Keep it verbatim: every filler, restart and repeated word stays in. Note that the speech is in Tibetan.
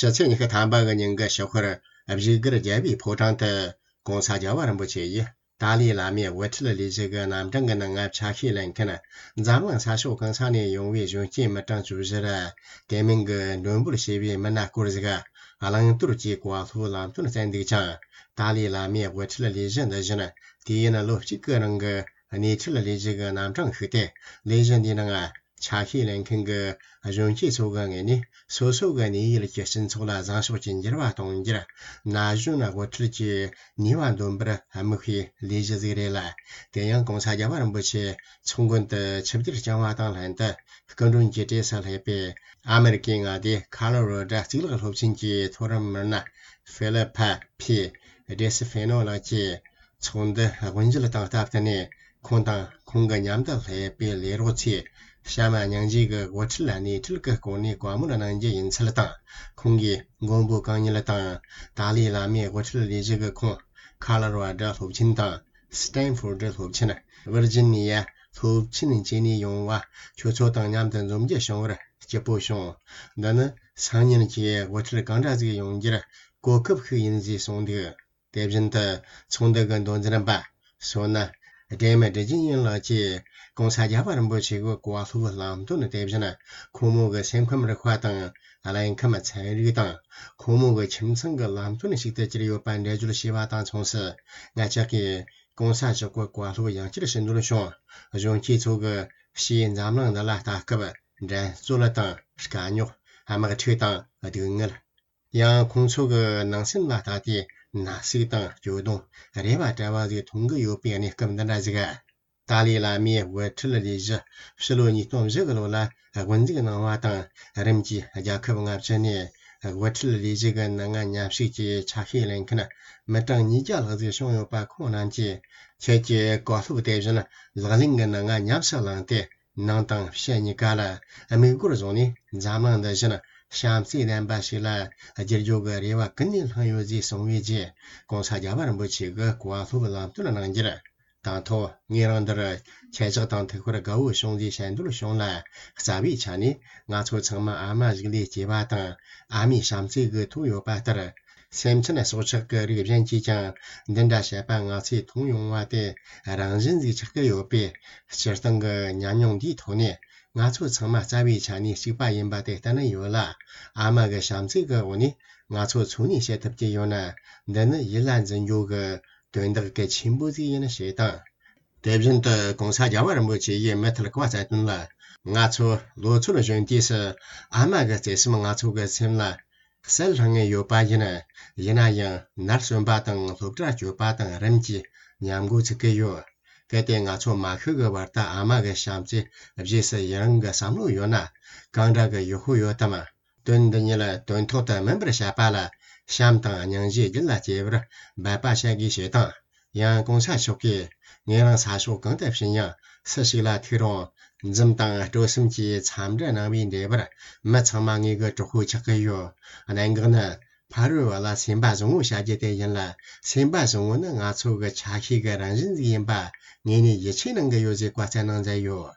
ཕྱི་ཚེས་ཉི་ཤུ་ཐམ་པ་གི་ཉིན་གྱི་ཞོགས་ཁར་བཞུགས་སྒར་རྒྱལ་བའི་ཕོ་བྲང་དུ་༸གོང་ས་རྒྱལ་བ་རིན་པོ་ཆེ་ཡིས་ཏཱ་ལའི་བླ་མའི་དབུ་ཁྲིད་ལས་གཞི་གི་རྣམ་གྲངས་ཀྱི་ནང་ང་ཆ་ཤས་ལེན་མཁན་འཛམ་གླིང་ས་ཕྱོགས་གང་ས་ནས་ཡོང་བའི་གཞོན་སྐྱེས་མི་གྲངས་བཅུ་བཞི་ར། དེ་མིན་གྱི་མགྲོན་འབོད་བྱས་པའི་མི་སྣ་སྐོར་ཟིག་གླེང་དོར་གྱིས་བཀའ་སློབ་ལམ་སྟོན་བསྩལ་འདུག་ཅིང་། ཏཱ་ལའི་བླ་མའི་དབུ་ཁྲིད་ལས་གཞི་འདི་བཞིན་དུས་ཡུན་ལོ་གཅིག་གི་རིང་གི་སྣེ་ཁྲིད་ལས་གཞི་གི་རྣམ་གྲངས་ཤིག་སྟེ། ལས་གཞི་འདིའི་ནང་ཆ་ཤས་ལེན་མཁན་གྱི་གཞོན་སྐྱེས་ཚོ་གི་ངོས་ནས་སོ་སོ་གི་གནས་ཡུལ་གྱི་སྤྱི་ཚོགས་ལ་བཟང་ཕྱོགས་ཀྱི་འགྱུར་བ་གཏོང་རྒྱུར་ན་གཞོན་དབུ་ཁྲིད་ཀྱི་ནུས་པ་འདོན་པར་དམིགས་པའི་ལས་གཞི་ཟིག་རེད་ལ། དེ་ཡང་༸གོང་ས་རྒྱལ་བ་རིན་པོ་ཆེ་མཚོ་དགོན་དུ་ཆིབས་བསྒྱུར་བསྐྱངས་པ་དང་ལྷན་དུ་སྐུ་མགྲོན་གྱི་གྲས་སུ་སླེབས་པའི་ཨ་མེ་རི་ཀའི་མངའ་སྡེ་ཁ་ལོ་རོ་ཌ་གཙུག་ལག་སློབ་ཆེན་གྱི་མཐོ་རིམ་མི་སྣ་ཧྥི་ལི་ཕ་ཕི་ཌེ་སི་ཧྥེ་ནོ་ལགས་ཀྱིས། ཚོགས་འདུ་དབུ་འབྱེད་དང་སྟབས་བསྟུན་ནས། ཁོང་དང་ཁོང་གི་མཉམ་དུ་སླེབས་པའི་ལས་རོགས་ཚོས་བྱམས་སྙིང་རྗེ་གི་དབུ་ཁྲིད་ལ་སྣེ་ཁྲིད་ཀྱི་སྐོར་ནས་བཀའ་མོལ་གནང་རྒྱུ་ཡིན་ཚུལ་དང་། ཁོང་གིས་མགོན་པོ་གང་ཉིད་དང་ཏཱ་ལའི་བླ་མའི་དབུ་ཁྲིད་ལས་གཞི་གི་ཁོངས་ཁ་ལ་རོ་ཨ་ཌ་སློབ་ཆེན་དང་སི་ཏན་ཧྥོར་ཌི་སློབ་ཆེན། ཝིར་ཇི་ནི་ཡ་སློབ་ཆེན་བཅས་ནས་ཡོང་བ་ཁྱོད་ཚོ་དང་མཉམ་དུ་འཛོམས་རྒྱུ་བྱུང་བར་སྐྱིད་པོ་བྱུང་། འདི་ནི་སང་ཉིན་གྱི་དབུ་ཁྲིད་གང་འདྲ་ཟིག་ཡོང་རྒྱུར་གོ་སྐབས་ཤིག་ཡིན་ཟེར་གསུངས་འདུག་དེ་བཞིན་དུ་ཚོགས་འདུ་གི་མདོ་འཛིན་པ་བསོད་ནམས་སྒྲོལ་མ་དགེ་འདུན་ཡིན་ལགས་ཀྱིས་༸གོང་ས་རྒྱལ་བ་རིན་པོ་ཆེ་གི་བཀའ་སློབ་ལམ་སྟོན་དེ་བཞིན་ཁོང་མོ་གི་སེམས་ཁམས་རིག་པ་དང་། ལུས་ཁམས་ཚན་རིག་དང་ཁོང་མོ་གི་ཁྱིམ་ཚང་གི་ལམ་སྟོན་ཞིག་ཏུ་གྱུར་ཡོད་པ་འགྲེལ་བརྗོད་བྱས་པ་དང་མཚུངས་སུ། ང་ཅག་གིས་༸གོང་ས་མཆོག་གི་བཀའ་སློབ་ཡང་བསྐྱར་ཞུ་འདོད་བྱུང་། གཞོན་སྐྱེས་ཚོ་གི་ཕྱིའི་འཛམ་གླིང་འདི་ལ་ལྟ་སྐབས་འགྲན་རྩོད་དང་དཀའ་རྙོག་དམག་འཁྲུག་དང་སྡུག་བསྔལ། ཡང་ཁོང་ཚོ་གི་ནང་སེམས་ལ་ལྟ་སྟེ་ན་ཟུག་དང་སྐྱོ་གདུང་རེ་བ་བྲལ་བ་ཟིག་མཐོང་གི་ཡོད་པའི་གནས་སྐབས་འདི་འདྲ་ཟིག་ཏཱ་ལའི་བླ་མའི་དབུ་ཁྲིད་ལས་གཞི་ཕྱི་ལོ་ཉིས་སྟོང་བཞི་གི་ལོ་ལ་དབུ་འཛུགས་གནང་བ་དང་། རིམ་གྱིས་རྒྱལ་ཁབ་ལྔ་བཅུ་ནས་དབུ་ཁྲིད་ལས་གཞི་གི་ནང་ང་མཉམ་ཞུགས་ཀྱིས་ཆ་ཤས་ལེན་མཁན་མི་གྲངས་ཉིས་བརྒྱ་ལྷག་ཟིག་བྱུང་ཡོད་པ། ཁོང་རྣམས་ཀྱིས་ཁྱེད་ཀྱི་བཀའ་སློབ་དེ་བཞིན་ལག་ལེན་གྱི་ནང་ང་ཉམས་སུ་བླངས་ཏེ། ནང་དང་ཕྱི་གཉིས་ཀ་ལ་དམིགས་སྒོར་བཟུང་ནས་འཛམ་གླིང་འདི་བཞིན་བྱམས་བརྩེ་ལྡན་པ་ཞིག་ལ་བསྒྱུར་རྒྱུ་གི་རེ་བ་ཀུན་ནས་བསླངས་ཡོད་ཅེས་གསུངས་པའི་རྗེས། ༸གོང་ས་རྒྱལ་བ་རིན་པོ་ཆེ་གི་བཀའ་སློབ་ལམ་སྟོན་གནང་རྒྱུར། དང་ཐོག་ངེད་རང་འདིར་ཁྱེད་ཅག་དང་ཐུག་པར་དགའ་བོ་བྱུང་ཟེར་ཞལ་འདོན་བྱུང་ལ། རྩ་བའི་ཆ་ནས་ང་ཚོ་ཚང་མ་ཨ་མ་ཞིག་ལས་སྐྱེས་པ་དང་། ཨ་མའི་བྱམས་བརྩེ་གི་ཐོག་ཡོད་པ་ལྟར། སེམས་ཅན་སྲོག་ཆགས་ཀྱི་རིགས་གཞན་གྱིས་ཀྱང་འདི་འདྲ་བྱེད་པ་ང་ཚོས་མཐོང་ཡོང་བ་དེ་རང་བཞིན་ཟིག་ཆགས་ཀྱི་ཡོད་པས། སྤྱིར་བཏང་གི་ཉམས་མྱོང་འདིའི་ཐོག་ནས་ང་ཚོ་ཚང་མ་རྩ་བའི་ཆ་ནས་གཅིག་པ་ཡིན་པ་དེ་གཏན་ནས་ཡོད་ལ། ཨ་མ་གི་བྱམས་བརྩེ་གི་འོག་ནས་ང་ཚོ་འཚོ་གནས་བྱེད་ཐུབ་ཀྱི་ཡོད་ན། འདི་ནི་ཡིད་ལ་འཛིན་རྒྱུ་གི་དོན་དག་གལ་ཆེན་པོ་ཟིག་ཡིན་ཞེས་དང་། དེ་བཞིན་དུ་༸གོང་ས་རྒྱལ་བ་རིན་པོ་ཆེ་ཡིས་མུ་མཐུད་བཀའ་སྩལ་དོན་ལ། ང་ཚོ་ལོ་ཚོད་གཞོན་དུས་སུ་ཨ་མ་གི་བརྩེ་སེམས་ང་ཚོ་གི་སེམས་ལ་གསལ་ལྷང་ངེ་ཡོད་པ་ཡིན། ཡིན་ན་ཡང་ནར་སོན་པ་དང་སློབ་གྲྭ་སྐྱོད་པ་དང་རིམ་གྱིས་ཉམས་རྒུད་ཚུགས་ཀྱི་ཡོད། གལ་ཏེ་ང་ཚོ་མ་ཤི་གི་བར་དུ་ཨ་མ་གི་བྱམས་བརྩེ་རྗེས་སུ་ཡི་རང་གི་བསམ་བློ་ཡོད་ན། གང་འདྲ་གི་ཡག་པོ་ཡོད་དམ། དོན་འདི་ཉིད་དོན་ཐོག་ཏུ་སྨིན་པར་བྱེད་པ་ལ། བྱམས་དང་སྙིང་རྗེ་རྒྱུད་ལ་སྐྱེ་བར་འབད་པ་བྱ་དགོས་ཞེས་དང་། ཡང་༸གོང་ས་མཆོག་གིས་ངེད་རང་ས་ཕྱོགས་གང་དུ་ཕྱིན་ཡང་སུ་ཞིག་ལ་ཐུག་རུང་། འཛུམ་དང་སྤྲོ་སེམས་ཀྱི་འཚམས་འདྲི་གནང་བའི་འབྲས་བུར་མི་ཚང་མ་ངེད་ཀྱི་གྲོགས་པོ་ཆགས་ཀྱི་ཡོད། གནད་འགག་ནི་ཕ་རོལ་བ་ལ་སེམས་པ་བཟང་བོ་བྱ་རྒྱུ་དེ་ཡིན་ལ། སེམས་པ་བཟང་བོ་ནི་ང་ཚོ་གི་ཆ་ཤས་ཀྱི་རང་བཞིན་ཟིག་ཡིན་པ་ངེད་ནས་ཡིད་ཆེས་གནང་གི་ཡོད་ཅེས་བཀའ་སྩལ་གནང་མཛད་ཡོད།